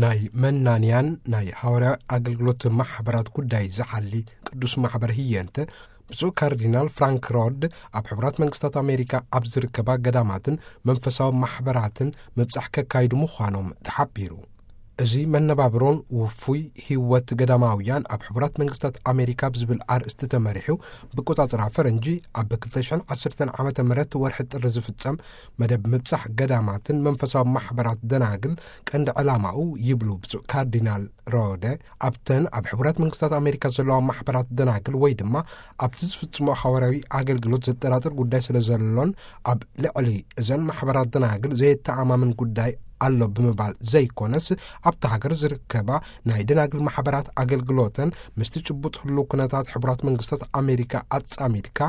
ናይ መናንያን ናይ ሃዋርያዊ ኣገልግሎት ማሕበራት ጉዳይ ዝሓሊ ቅዱስ ማሕበር ህየንተ፣ ብፁዕ ካርዲናል ፍራንክ ሮድ ኣብ ሕቡራት መንግስታት ኣሜሪካ ኣብ ዝርከባ ገዳማትን መንፈሳዊ ማሕበራትን ምብጻሕ ከካይዱ ምዃኖም ተሓቢሩ። እዚ መነባብሮን ውፉይ ህይወት ገዳማውያን ኣብ ሕቡራት መንግስታት ኣሜሪካ ብዝብል ኣርእስቲ ተመሪሑ፣ ብቆጻጽራ ፈረንጂ ኣብ ክልተ ሽሕን ዓሰርተን ዓመተ ምህረት ወርሒ ጥሪ ዝፍጸም መደብ ምብጻሕ ገዳማትን መንፈሳዊ ማሕበራት ደናግል ቀንዲ ዕላማኡ ይብሉ ብፁዕ ካርዲናል ሮደ። ኣብተን ኣብ ሕቡራት መንግስታት ኣሜሪካ ዘለዋ ማሕበራት ደናግል ወይ ድማ ኣብቲ ዝፍጽሞ ሃዋርያዊ ኣገልግሎት ዘጠራጥር ጉዳይ ስለ ዘሎን ኣብ ልዕሊ እዘን ማሕበራት ደናግል ዘየተኣማምን ጉዳይ ኣሎ ብምባል ዘይኮነስ፣ ኣብቲ ሃገር ዝርከባ ናይ ደናግል ማሕበራት ኣገልግሎተን ምስቲ ጭቡጥ ህልው ኩነታት ሕቡራት መንግስታት ኣሜሪካ ኣጻሚድካ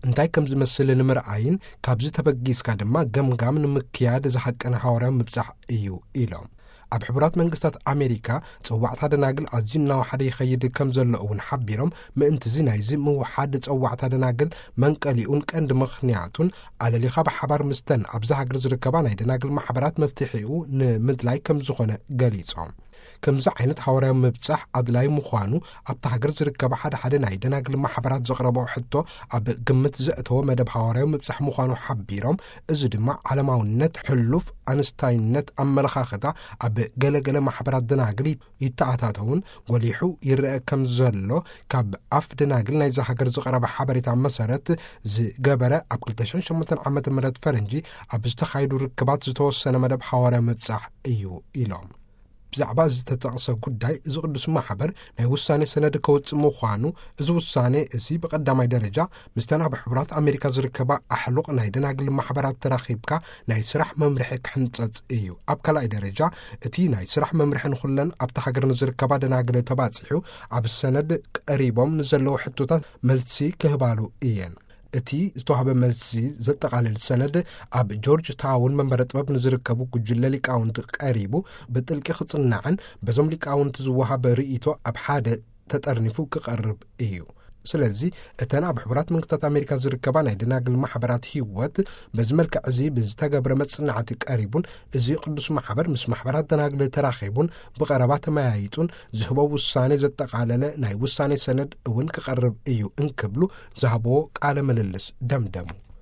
እንታይ ከም ዝመስል ንምርኣይን ካብዚ ተበጊስካ ድማ ገምጋም ንምክያድ ዝሓቀነ ሃዋርያዊ ምብጻሕ እዩ ኢሎም። ኣብ ሕቡራት መንግስታት ኣሜሪካ ጸዋዕታ ደናግል ኣዝዩ እናወሓደ ይኸይድ ከም ዘሎ እውን ሓቢሮም፣ ምእንትዚ ናይዚ ምውሓድ ጸዋዕታ ደናግል መንቀሊኡን ቀንዲ ምኽንያቱን ኣለሊኻ ብሓባር ምስተን ኣብዚ ሃገር ዝርከባ ናይ ደናግል ማሕበራት መፍትሒኡ ንምድላይ ከም ዝኾነ ገሊጾም። ከምዚ ዓይነት ሃዋርያዊ ምብጻሕ ኣድላይ ምዃኑ ኣብቲ ሃገር ዝርከባ ሓደ ሓደ ናይ ደናግል ማሕበራት ዘቕረብኦ ሕቶ ኣብ ግምት ዘእተወ መደብ ሃዋርያዊ ምብጻሕ ምዃኑ ሓቢሮም፣ እዚ ድማ ዓለማውነት፣ ሕሉፍ ኣንስታይነት ኣመለኻኽታ ኣብ ገለገለ ማሕበራት ደናግል ይተኣታተውን ጎሊሑ ይረአ ከም ዘሎ ካብ ኣፍ ደናግል ናይዚ ሃገር ዝቐረበ ሓበሬታ መሰረት ዝገበረ ኣብ ክልተ ሽሕን ሸሞንተን ዓመተ ምህረት ፈረንጂ ኣብ ዝተኻየዱ ርክባት ዝተወሰነ መደብ ሃዋርያዊ ምብጻሕ እዩ ኢሎም። ብዛዕባ ዝተጠቕሰ ጉዳይ እዚ ቅዱስ ማሕበር ናይ ውሳኔ ሰነድ ከውጽእ ምዃኑ፣ እዚ ውሳኔ እዚ ብቐዳማይ ደረጃ ምስተን ኣብ ሕቡራት ኣሜሪካ ዝርከባ ኣሕሉቕ ናይ ደናግል ማሕበራት ተራኺብካ ናይ ስራሕ መምርሒ ክሕንጸጽ እዩ። ኣብ ካልኣይ ደረጃ እቲ ናይ ስራሕ መምርሒ ንኹለን ኣብታ ሃገር ንዝርከባ ደናግል ተባጺሑ ኣብ ሰነድ ቀሪቦም ንዘለዉ ሕቶታት መልሲ ክህባሉ እየን። እቲ ዝተዋህበ መልሲ ዘጠቓልል ሰነድ ኣብ ጆርጅ ታውን መንበረ ጥበብ ንዝርከቡ ጉጅለ ሊቃውንቲ ቀሪቡ ብጥልቂ ክጽናዕን በዞም ሊቃውንቲ ዝወሃበ ርእይቶ ኣብ ሓደ ተጠርኒፉ ክቐርብ እዩ። ስለዚ እተን ኣብ ሕቡራት መንግስታት ኣሜሪካ ዝርከባ ናይ ደናግል ማሕበራት ህይወት በዚ መልክዕ እዚ ብዝተገብረ መጽናዕቲ ቀሪቡን እዚ ቅዱስ ማሕበር ምስ ማሕበራት ደናግል ተራኺቡን ብቐረባ ተመያይጡን ዝህቦ ውሳኔ ዘጠቓለለ ናይ ውሳኔ ሰነድ እውን ክቐርብ እዩ እንክብሉ ዝሃብዎ ቃለ ምልልስ ደምደሙ።